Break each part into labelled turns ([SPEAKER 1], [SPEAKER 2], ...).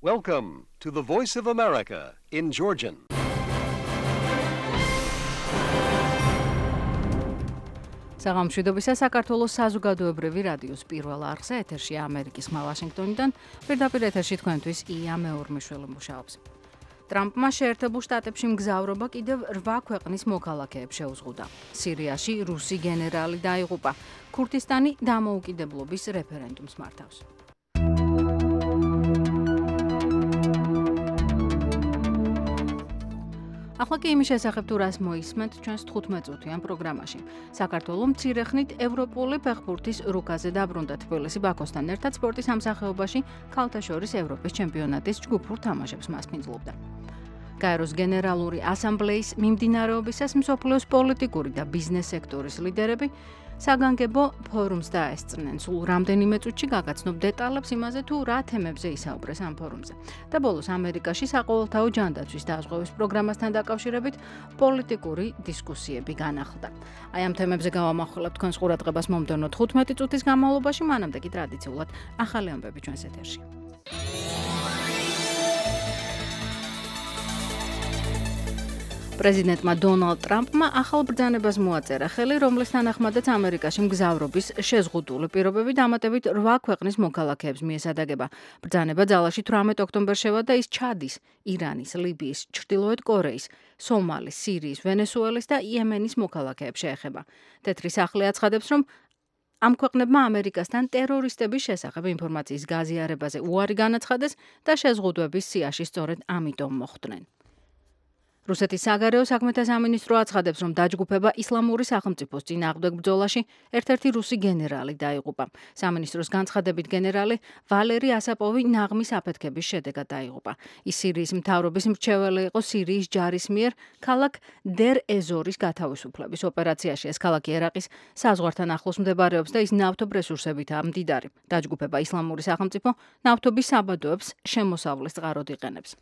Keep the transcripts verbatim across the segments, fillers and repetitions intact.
[SPEAKER 1] Welcome to the Voice of America in Georgian.
[SPEAKER 2] საღამოშვიდობისა საქართველოს საზოგადოებრივი რადიოს პირველ არხზე ეთერშია ამერიკის ხმა ვაშინგტონიდან, პირდაპირ ეთერში თქვენთვის ია მეორმიშველი მუშაობს. ტრამპმა შეერთებულ შტატებში მგზავრობა კიდევ რვა ქვეყნის მოქალაქეებს შეუზღუდა. სირიაში რუსი გენერალი დაიღუპა. ქურთისტანი დამოუკიდებლობის რეფერენდუმს მართავს. ახლა კი იმის შესახებ თუ რას მოისმენთ ჩვენს თხუთმეტ წუთიან პროგრამაში. საქართველოს მცირე ხნით ევროპული ფეხბურთის რუკაზე დაბრუნდა თბილისი ბაქოსთან ერთად სპორტის სამსახეობაში ქალთა შორის ევროპის ჩემპიონატის ჯგუფურ თამაშებს მასპინძლობდა. გაეროს გენერალური ასამბლეის მიმდინარეობისას მსოფლიოს პოლიტიკური და ბიზნეს სექტორის ლიდერები საგანგებო ფორუმს დაესწრნენ. სულ რამდენიმე წუთში გაგაცნობ დეტალებს იმაზე თუ რა თემებზე ისაუბრეს ამ ფორუმზე. და ბოლოს ამერიკაში საყოველთაო ჯანდაცვის დაზღვევის პროგრამასთან დაკავშირებით პოლიტიკური დისკუსიები განახლდა. აი ამ თემებზე გავამახვილებ თქვენს ყურადღებას მომდევნო თხუთმეტი წუთის განმავლობაში, მანამდე კი ტრადიციულად ახალი ამბები ჩვენს ეთერში. პრეზიდენტმა დონალდ ტრამპმა ახალ ბრძანებას მოაწერა ხელი, რომლის თანახმადაც ამერიკაში მგზავრობის შეზღუდული პირობები დამატებით რვა ქვეყნის მოქალაქეებს მიესადაგება. ბრძანება ძალაში თვრამეტ ოქტომბერს შევიდა და ის ჩადის, ირანის, ლიბიის, ჩრდილოეთ კორეის, სომალის, სირიის, ვენესუელის და იემენის მოქალაქეებს შეეხება. თეთრი სახლი აცხადებს, რომ ამ ქვეყნებმა ამერიკასთან ტერორისტების შესახებ ინფორმაციის გაზიარებაზე უარი განაცხადეს და შეზღუდვების სიაში სწორედ ამიტომ მოხვდნენ. რუსეთის საგარეო საქმეთა სამინისტრო აცხადებს, რომ დაჯგუფება ისლამური სახელმწიფოს წინააღმდეგ ბრძოლაში ერთ-ერთი რუსი გენერალი დაიღუპა. სამინისტროს განცხადებით გენერალი ვალერი ასაპოვი ნაღმის აფეთქების შედეგად დაიღუპა. ის სირიის მთავრობის მრჩეველი იყო სირიის ჯარის მიერ ქალაქ დერ ეზორის გათავისუფლების ოპერაციაში. ეს ქალაქი ერაყის საზღვართან ახლოს მდებარეობს და ის ნავთობ რესურსებითაა მდიდარი. დაჯგუფება ისლამური სახელმწიფო ნავთობის საბადოებს შემოსავლის წყაროდ იყენებს.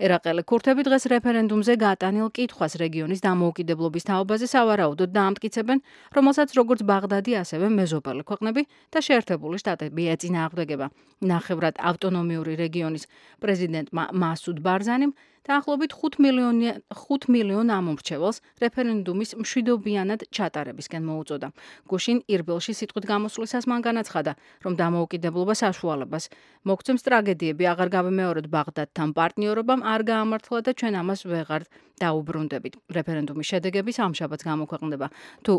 [SPEAKER 2] ერაყელი ქურთები დღეს რეფერენდუმზე გატანილ კითხვას რეგიონის დამოუკიდებლობის თაობაზე სავარაუდოდ დაამტკიცებენ, რომელსაც როგორც ბაღდადი, ასევე მეზობელი ქვეყნები და შეერთებული შტატები ეწინააღმდეგება. ნახევრად ავტონომიური რეგიონის პრეზიდენტმა მასუდ ბარზანიმ დაახლოებით ხუთ მილიონ ამომრჩეველს რეფერენდუმის მშვიდობიანად ჩატარებისკენ მოუწოდა. გუშინ ირბილში სიტყვით გამოსვლისას მან განაცხადა, რომ დამოუკიდებლობა საშუალებას მოგცემს ტრაგედიები აღარ გავიმეოროთ ბაღდადთან პარტნიორობამ არ გაამართლა და ჩვენ ამას ვეღარ დაუბრუნდებით. რეფერენდუმის შედეგები სამშაბათს გამოქვეყნდება. თუ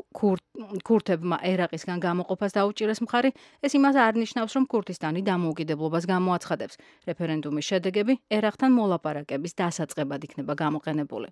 [SPEAKER 2] ქურთებმა ერაყისგან გამოყოფას დაუჭირეს მხარი, ეს იმას არ ნიშნავს, რომ ქურთისტანი დამოუკიდებლობას გამოაცხადებს. რეფერენდუმის შედეგები ერაყთან მოლაპარაკების დასაწყებად იქნება გამოყენებული.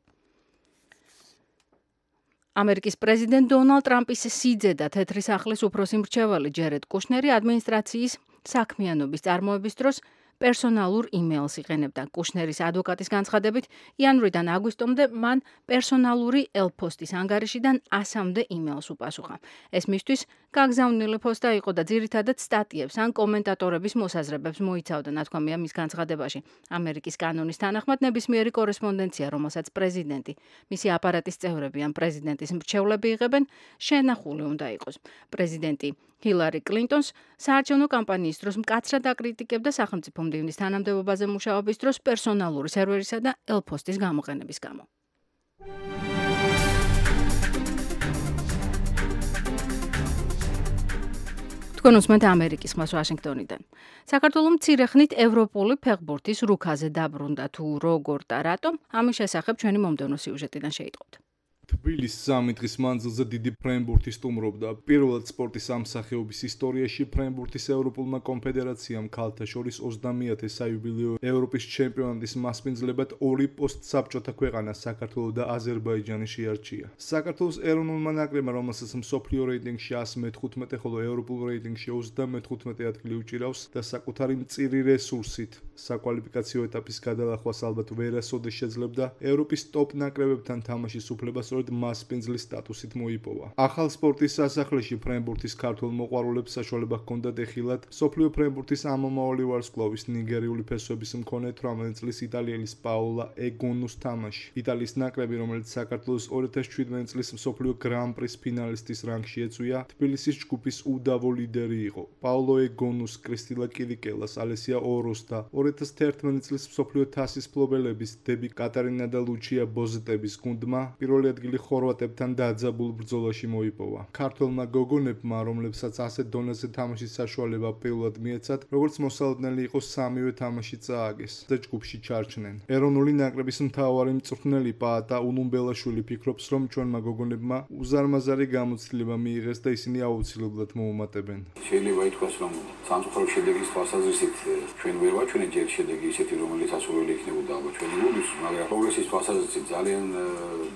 [SPEAKER 2] ამერიკის პრეზიდენტ დონალდ ტრამპის სიძე და თეთრი სახლის უფროსი მრჩეველი ჯერედ კუშნერი ადმინისტრაციის საქმიანობის წარმოების დროს პერსონალურ იმეილს იყენებდა. კუშნერის ადვოკატის განცხადებით, იანვრიდან აგვისტომდე მან პერსონალური ელფოსტის ანგარიშიდან ასამდე იმეილს უპასუხა. ეს მისთვის გაგზავნილი პოსტა იყო და ძირითადად სტატიებს ან კომენტატორების მოსაზრებებს მოიცავდა, ნათქვამია მის განცხადებაში. ამერიკის კანონის თანახმად ნებისმიერი კორესპონდენცია, რომელსაც პრეზიდენტი, მისი აპარატის წევრები ან პრეზიდენტის მრჩევლები იღებენ, შენახული უნდა იყოს. პრეზიდენტი ჰილარი კლინტონს საარჩევნო კამპანიის დროს მკაცრად აკრიტიკებდა სახელმწიფო მდივნის თანამდებობაზე მუშაობის დროს პერსონალური სერვერისა და ელფოსტის გამოყენების გამო. თქვენ უსმენთ ამერიკის ხმას ვაშინგტონიდან. საქართველოს მცირე ხნით ევროპული ფეხბურთის რუკაზე დაბრუნდა თუ როგორ და რატომ, ამის შესახებ ჩვენი მომდევნო სიუჟეტიდან შეიტყობთ.
[SPEAKER 3] თბილისის სამი დღის მანძილზე დიდი ფრენბურთი სტუმრობდა. პირველად სპორტის სამსახეობის ისტორიაში ფრენბურთის ევროპულმა კონფედერაციამ ქალთა შორის ოცდამეათე საიუბილეო ევროპის ჩემპიონატის მასპინძლებად ორი პოსტსაბჭოთა ქვეყანა საქართველო და აზერბაიჯანი შეარჩია. საქართველოს ეროვნულმა ნაკრებმა, რომელსაც მსოფლიო რეიტინგში ასი მეთხუთმეტე, ხოლო ევროპულ რეიტინგში ოცდამეთხუთმეტე ადგილი უჭირავს და საკუთარი მწირი რესურსით საკვალიფიკაციო ეტაპის გადალახვას ალბათ ვერასოდეს შეძლებდა, ევროპის ტოპ ნაკრებებთან თამაშის უფლებას მასპინძლის სტატუსით მოიპოვა. ახალ სპორტის სასახლეში ფრენბურთის ქართველ მოყვარულებს საშუალება ჰქონდათ ეხილად მსოფლიო ფრენბურთის ამომავალი ვარსკვლავის ნიგერიული ფესვების მქონე თვრამეტი წლის იტალიელის პაოლა ეგონუს თამაში. იტალიის ნაკრები, რომელიც საქართველოს ორი ათას შვიდმეტი წლის მსოფლიო გრან-პრის ფინალისტის რანგში ეწვია, თბილისის ჯგუფის უდავო ლიდერი იყო. პაოლო ეგონუს, კრისტილა კირიკელას, ალესია ოროს და ორი ორი ათას თერთმეტი წლის მსოფლიო თასის მფლობელების დები კატარინა და ლუჩია ბოზეტების გუნდმა პირველი ადგილი ხორვატებთან დაძაბულ ბრძოლაში მოიპოვა. ქართველმა გოგონებმა, რომლებსაც ასეთ დონეზე თამაშის საშუალება პირველად მიეცათ, როგორც მოსალოდნელი იყო სამივე თამაში წააგეს და ჯგუფში ჩარჩნენ. ეროვნული ნაკრების მთავარი მწვრთნელი პაატა ულუმბელაშვილი ფიქრობს, რომ ჩვენმა გოგონებმა უზარმაზარი გამოცდილება მიიღეს და ისინი აუცილებლად მოუმატებენ.
[SPEAKER 4] შეიძლება ითქვას, რომ სამწუხარო შედეგის თვალსაზრისით ჩვენ ვერ ვაჩვენეთ ჯერ შედეგი ისეთი, რომელიც ასურველი იქნებოდა ალბათ ჩვენი გუნდის, მაგრამ პროგრესის თვალსაზრისით ძალიან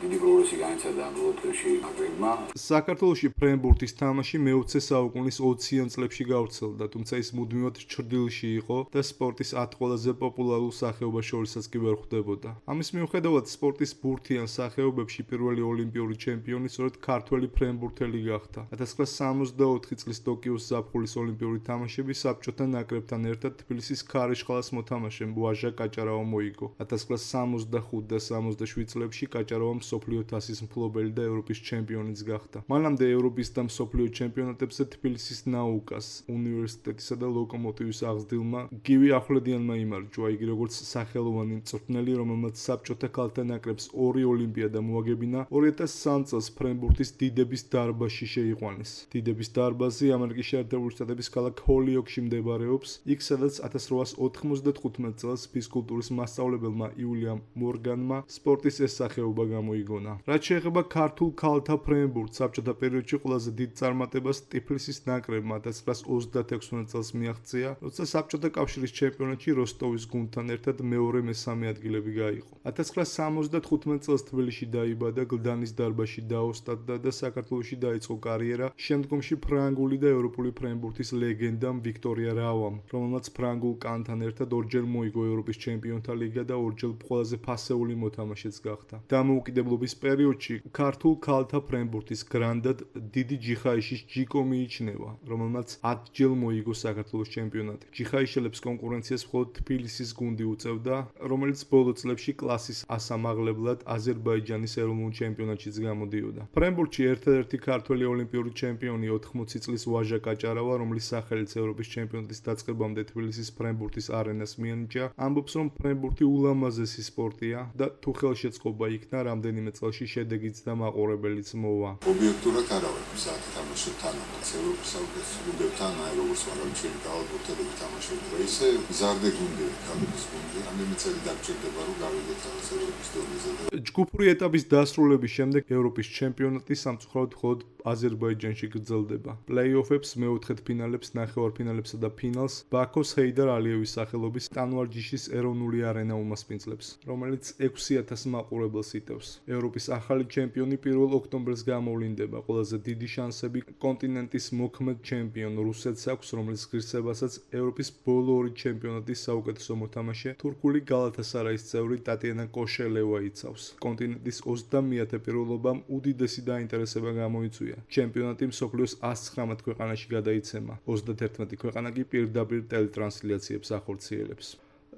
[SPEAKER 4] დიდი პროგრესი განიცადა ამ ბოლო დღეში ნაკრებმა.
[SPEAKER 3] საქართველოში ფრენბურთის თამაში მეოცე საუკუნის ოციან წლებში გავრცელდა, თუმცა ის მუდმივად ჩრდილში იყო და სპორტის ათ ყველაზე პოპულარულ სახეობას შორისაც კი ვერ ხვდებოდა. ამის მიუხედავად სპორტის ბურთიან სახეობებში პირველი ოლიმპიური ჩემპიონი სწორედ ქართველი ფრენბურთელი გახდა. ათას ცხრაასი სამოცდაოთხი წლის ტოკიოს ზაფხულის ოლიმპიური თამაშები საბჭოთა ნაკრებთან ერთად თბილისის ქარიშხალას მოთამაშემ ვაჟა კაჭარავა მოიგო. ათას ცხრაასი სამოცდახუთ და სამოცდაშვიდ წლებში კაჭარავა მსოფლიო თასის მფლობელი და ევროპის ჩემპიონიც გახდა. მანამდე ევროპის და მსოფლიო ჩემპიონატებზე თბილისის ნაუკას, უნივერსიტეტისა და ლოკომოტივის აღზრდილმა გივი ახვლედიანმა იმარჯვა, იგი როგორც სახელოვანი მწვრთნელი, რომელმაც საბჭოთა ქალთა ნაკრებს ორი ოლიმპიადა მოაგებინა, ორი ათას სამი წელს ფრენბურთის დიდების დარბაზში შეიყვანეს. დიდების დარბაზი ამერიკის შეერთებული შტატების ქალაქ ჰოლიოკში მდებარეობს, იქ სადაც ათას რვაასი ოთხმოცდათხუთმეტ წელს ფიზკულტურის მასწავლებელმა იულიამ მორგანმა სპორტის ეს სახეობა გამოიგონა. რაც შეეხება ქართულ ქალთა ფრენბურთს, საბჭოთა პერიოდში ყველაზე დიდ წარმატებას ტიფლისის ნაკრებმა ათას ცხრაასი ოცდათექვსმეტ წელს მიაღწია, როცა საბჭოთა კავშირის ჩემპიონატში როსტოვის გუნდთან ერთად მეორე მესამე ადგილები გაიყო. ათას ცხრაასი სამოცდათხუთმეტ წელს თბილისში დაიბადა, გლდანის დარბაზში დაოსტატდა და საქართველოში დაიწყო კარიერა შემდგომში ფრანგული და ევროპული ფრენბურთის ლეგენდამ ვიქტორია რავამ, რომელმაც ფრანგულ კანთან ერთად ორჯერ მოიგო ევროპის ჩემპიონთა ლიგა და ორჯერ ყველაზე ფასეული მოთამაშეც გახდა. დამოუკიდებლობის პერიოდში ქართულ ქალთა ფრენბურთის გრანდად დიდი ჯიხაიშის ჯიკო მიიჩნევა, რომელმაც ათჯერ მოიგო საქართველოს ჩემპიონატი. ჯიხაიშელებს კონკურენციას მხოლოდ თბილისის გუნდი უწევდა, რომელიც ბოლო წლებში კლასის ასამაღლებლად აზერბაიჯანის ეროვნულ ჩემპიონატშიც გამოდიოდა. ფრენბურთში ერთადერთი ქართველი ოლიმპიური ჩემპიონი ოთხმოცი წლის ვაჟა კაჭარავა, რომლის სახელიც ევროპის ჩემპიონატის დაწყებამდე თბილისის ფრენბურთის არენას მიენიჭა, ამბობს, რომ ფრენბურთი ულამაზესი სპორტია და თუ ხელშეწყობა იქნა, რამდენიმე წელში შედეგიც და მაყურებელიც მოვა.
[SPEAKER 5] ობიექტურად არა ვარ მზად თამაშობ თანამაც ევროპის საუკეთესო გუნდებთან, აი როგორც მაგალითად კალბურთელები თამაშობენ და ისე მზარდე გუნდი, კალბურთის გუნდი, რამდენიმე წელი დაგჭირდება რომ გავიდეთ რაღაც ევროპის დონეზე.
[SPEAKER 3] ჯგუფური ეტაპის დასრულების შემდეგ ევროპის ჩემპიონატი სამწუხაროდ მხოლოდ აზერბაიჯანში გრძელდება. პლეი-ოფებს, მეოთხედფინალებს, ნახევარფინალებსა და ფინალს ბაქოს ჰეიდარ ალიევის სახელობის ტანვარჯიშის ეროვნული არენა უმასპინძლებს, რომელიც ექვსი ათას მაყურებელს იტევს. ევროპის ახალი ჩემპიონი პირველ ოქტომბერს გამოვლინდება. ყველაზე დიდი შანსები კონტინენტის მოქმედ ჩემპიონ რუსეთს აქვს, რომლის ღირსებასაც ევროპის ბოლო ორი ჩემპიონატის საუკეთესო მოთამაშე თურქული გალათასარაის წევრი ტატიანა კოშელევა იცავს. კონტინენტის ოცდამეათე პირველობამ უდიდესი დაინტერესება გამოიწვია. ჩემპიონატი მსოფლიოს ას ცხრამეტ ქვეყანაში გადაიცემა. ოცდათერთმეტი ქვეყანა კი პირდაპირ ტელეტრანსლიაციებს ახორციელებს.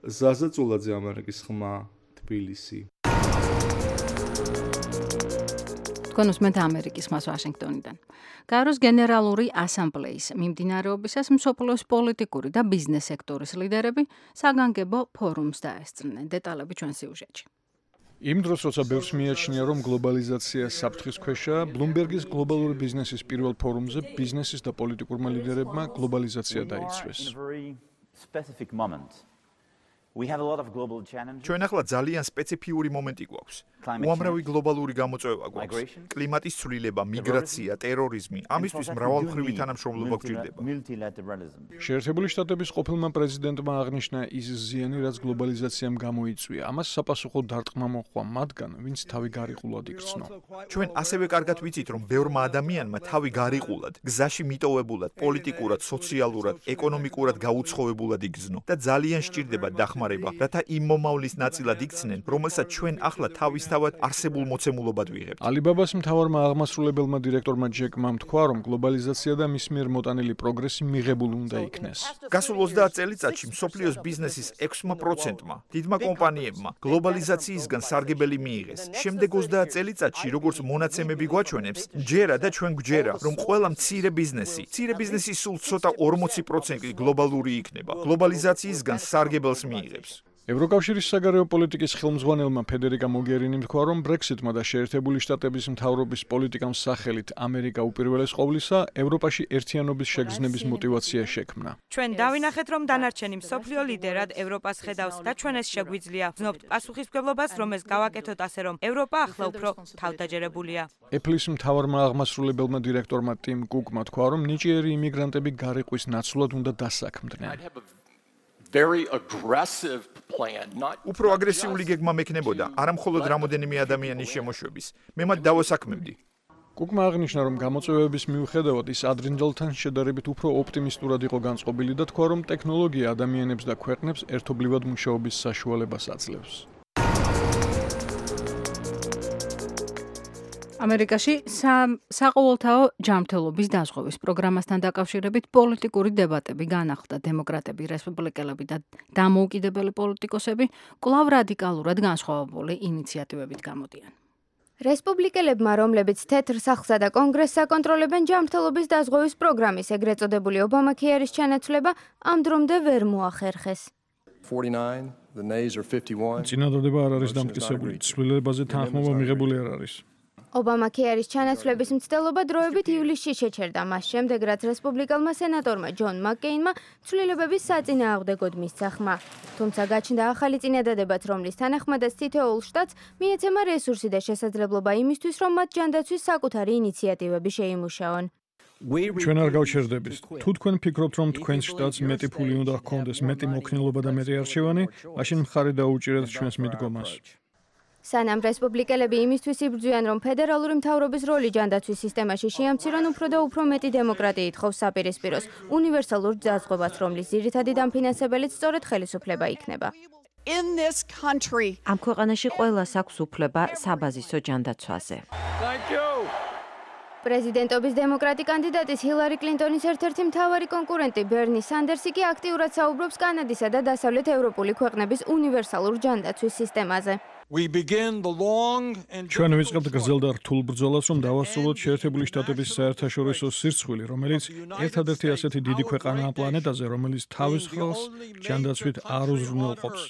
[SPEAKER 3] ზაზა წულაძე, ამერიკის ხმა, თბილისი.
[SPEAKER 2] თქვენ უსმენთ ამერიკის ხმას ვაშინგტონიდან. გაეროს გენერალური ასამბლეის მიმდინარეობისას მსოფლიოს პოლიტიკური და ბიზნეს სექტორის ლიდერები საგანგებო ფორუმს დაესწრნენ. დეტალები ჩვენ სიუჟეტში.
[SPEAKER 6] იმ დროს, როცა ბევრს მიაჩნია, რომ გლობალიზაცია საფრთხის ქვეშაა, ბლუმბერგის გლობალური ბიზნესის პირველ ფორუმზე ბიზნესის და პოლიტიკურმა ლიდერებმა გლობალიზაცია დაიცვეს.
[SPEAKER 7] ჩვენ ახლა ძალიან სპეციფიური მომენტი გვაქვს. უამრავი გლობალური გამოწვევა გვაქვს. კლიმატის ცვლილება, მიგრაცია, ტერორიზმი, ამისთვის მრავალმხრივი თანამშრომლობა გვჭირდება.
[SPEAKER 6] შეერთებული შტატების ყოფილმა პრეზიდენტმა აღნიშნა ის ზიანი, რაც გლობალიზაციამ გამოიწვია. ამას საპასუხო დარტყმა მოჰყვა მათგან, ვინც თავი გარიყულად იგრძნო.
[SPEAKER 7] ჩვენ ასევე კარგად ვიცით, რომ ბევრმა ადამიანმა თავი გარიყულად, გზაში მიტოვებულად, პოლიტიკურად, სოციალურად, ეკონომიკურად გაუცხოებულად იგრძნო და ძალიან სჭირდება დახმარება, რათა იმ მომავლის ნაწილად იქცნენ, რომელსაც ჩვენ ახლა თავისთავად არსებულ მოცემულობად ვიღებთ.
[SPEAKER 6] ალიბაბას მთავარმა აღმასრულებელმა დირექტორმა ჯეკმამ თქვა, რომ გლობალიზაცია და მის მიერ მოტანილი პროგრესი მიღებული უნდა იქნეს.
[SPEAKER 7] გასულ ოცდაათ წელიწადში მსოფლიოს ბიზნესის ექვსმა პროცენტმა, დიდმა კომპანიებმა გლობალიზაციისგან სარგებელი მიიღეს. შემდეგ ოცდაათ წელიწადში, როგორც მონაცემები გვაჩვენებს, ჯერა და ჩვენ გვჯერა, რომ ყველა მცირე ბიზნესი, მცირე ბიზნესი სულ ცოტა ორმოცი პროცენტი გლობალური იქნება. გლობალიზაციისგან სარგებელს მიიღებს. იღებს.
[SPEAKER 6] ევროკავშირის საგარეო პოლიტიკის ხელმძღვანელმა ფედერიკა მოგერინიმ თქვა, რომ ბრექსიტმა და შეერთებული შტატების მთავრობის პოლიტიკამ სახელით ამერიკა უპირველეს ყოვლისა ევროპაში ერთიანობის შეგრძნების მოტივაცია შექმნა.
[SPEAKER 8] ჩვენ დავინახეთ, რომ დანარჩენი მსოფლიო ლიდერად ევროპას ხედავს და ჩვენ ეს შეგვიძლია. ვზნობთ პასუხისმგებლობას, რომ ეს გავაკეთოთ ასე, რომ ევროპა ახლა უფრო თავდაჯერებულია.
[SPEAKER 6] ეფლის მთავარმა აღმასრულებელმა დირექტორმა ტიმ კუკმა თქვა, რომ ნიჭიერი იმიგრანტები გარიყვის ნაცვლად უნდა დასაქმდნენ.
[SPEAKER 9] very aggressive plan not
[SPEAKER 7] უფრო აგრესიული გეგმა მექნებოდა არა მხოლოდ რამოდენიმე ადამიანის შემოშვების მე მათ დავასაქმებდი.
[SPEAKER 6] კუკმა აღნიშნა, რომ გამოწვევების მიუხედავად ის ადრინდელთან შედარებით უფრო ოპტიმისტურად იყო განწყობილი და თქვა, რომ ტექნოლოგია ადამიანებს და ქვეყნებს ერთობლივად მუშაობის საშუალებას აძლევს.
[SPEAKER 2] ამერიკაში საყოველთაო ჯანმრთელობის დაზღვევის პროგრამასთან დაკავშირებით პოლიტიკური დებატები განახლდა. დემოკრატები, რესპუბლიკელები და დამოუკიდებელი პოლიტიკოსები კვლავ რადიკალურად განსხვავებული ინიციატივებით გამოდიან.
[SPEAKER 10] რესპუბლიკელებმა, რომლებიც თეთრ სახლსა და კონგრესს აკონტროლებენ ჯანმრთელობის დაზღვევის პროგრამის ეგრეთ წოდებული ობამაქეარის ჩანაცვლება ამ დრომდე ვერ მოახერხეს.
[SPEAKER 6] წინადადება არ არის დამტკიცებული, ცვლილებაზე თანხმობა მიღებული არ არის.
[SPEAKER 10] ობამაქეარის ჩანაცვლების მცდელობა დროებით ივლისში შეჩერდა, მას შემდეგ რაც რესპუბლიკელმა სენატორმა ჯონ მაკკეინმა ცვლილებების საწინააღმდეგოდ მისცა ხმა. თუმცა გაჩნდა ახალი წინადადებაც, რომლის თანახმადაც თითოეულ შტატს მიეცემა რესურსი და შესაძლებლობა იმისთვის, რომ მათ ჯანდაცვის საკუთარი ინიციატივები შეიმუშაონ.
[SPEAKER 6] ჩვენ არ გავჩერდებით. თუ თქვენ ფიქრობთ, რომ თქვენს შტატს მეტი ფული უნდა ჰქონდეს, მეტი მოქნილობა და მეტი არჩევანი, მაშინ მხარი დაუჭირეთ ჩვენს მიდგომას.
[SPEAKER 10] სანამ რესპუბლიკელები იმისთვის იბრძვიან, რომ ფედერალური მთავრობის როლი ჯანდაცვის სისტემაში შეამცირონ, უფრო და უფრო მეტი დემოკრატიით ხოვს საპირისპიროს უნივერსალურ დაზღვევას, რომლის ძირითადი დამფინანსებელიც სწორედ ხელისუფლება იქნება.
[SPEAKER 11] ამ ქვეყანაში ყველას აქვს უფლება საბაზისო ჯანდაცვაზე.
[SPEAKER 10] პრეზიდენტობის დემოკრატი კანდიდატის ჰილარი კლინტონის ერთ-ერთი მთავარი კონკურენტი ბერნი სანდერსი კი აქტიურად საუბრობს კანადისა და დასავლეთ ევროპული ქვეყნების უნივერსალურ ჯანდაცვის სისტემაზე.
[SPEAKER 6] ჩვენ ვიწყებთ გრძელ და რთულ ბრძოლას, რომ დავასრულოთ შეერთებული შტატების საერთაშორისო სირცხვილი, რომელიც ერთადერთი ასეთი დიდი ქვეყანაა პლანეტაზე, რომელიც თავის ხალხს ჯანდაცვით არ უზრუნველყოფს.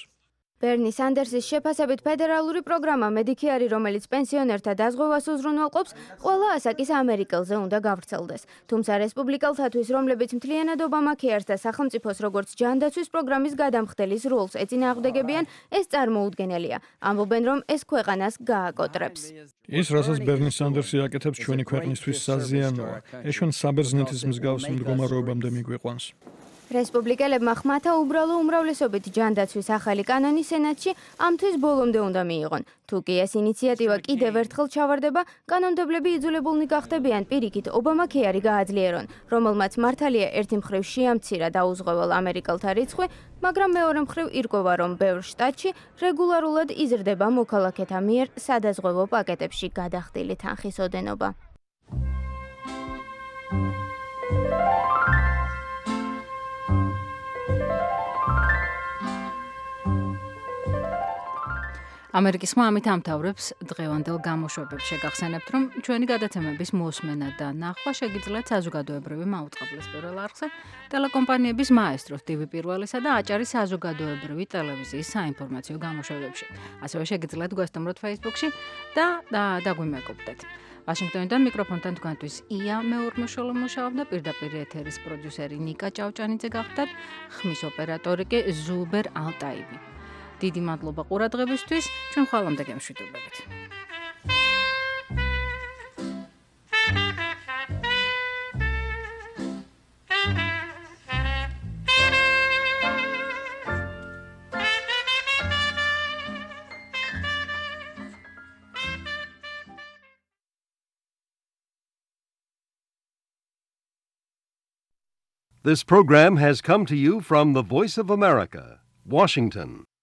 [SPEAKER 10] ბერნი სანდერსის შეფასებით ფედერალური პროგრამა მედიკეარი, რომელიც პენსიონერთა დაზღვევას უზრუნველყოფს, ყველა ასაკის ამერიკელზე უნდა გავრცელდეს. თუმცა რესპუბლიკელთათვის, რომლებიც მთლიანად ობამაქეარს და სახელმწიფოს როგორც ჯანდაცვის პროგრამის გადამხდელის როლს ეწინააღმდეგებიან, ეს წარმოუდგენელია. ამბობენ, რომ ეს ქვეყანას გააკოტრებს.
[SPEAKER 6] ის, რასაც ბერნი სანდერსი აკეთებს, ჩვენი ქვეყნისთვის საზიანოა. ეს ჩვენ საბერძნეთის მსგავს მდგომარეობამდე მიგვიყვანს.
[SPEAKER 10] რესპუბლიკელებმა ხმათა უბრალო უმრავლესობით ჯანდაცვის ახალი კანონი სენატში ამთვის ბოლომდე უნდა მიიღონ. თუ კი ეს ინიციატივა კიდევ ერთხელ ჩავარდება, კანონმდებლები იძულებულნი გახდებიან პირიქით ობამაქეარი გააძლიერონ, რომელმაც მართალია ერთი მხრივ შეამცირა დაუზღვევალ ამერიკელთა რიცხვი, მაგრამ მეორე მხრივ ირკვევა, რომ ბევრ შტატში რეგულარულად იზრდება მოქალაქეთა მიერ სადაზღვევო პაკეტებში გადახდილი თანხის ოდენობა.
[SPEAKER 2] ამერიკის ხმა ამით ამთავრებს დღევანდელ გამოშვებებს. შეგახსენებთ, რომ ჩვენი გადაცემების მოსმენა და ნახვა შეგიძლიათ საზოგადოებრივი მაუწყებლის პირველ არხზე, ტელეკომპანიების მაესტროს ტივი პირველისა და აჭარის საზოგადოებრივი ტელევიზიის საინფორმაციო გამოშვებებში. ასევე შეგიძლიათ გვესტუმროთ Facebook-ში და დაგვიმეგობრდეთ. ვაშინგტონიდან მიკროფონთან თქვენთვის ია მეორმოშოლო მუშაობდა, პირდაპირ ეთერის პროდიუსერი ნიკა ჭავჭანიძე გახდათ, ხმის ოპერატორი კი ზუბერ ალტაივი. დიდი მადლობა ყურადღებისთვის, ჩვენ ხვალამდე გემშვიდობებით.
[SPEAKER 1] This program has come to you from the Voice of America, Washington.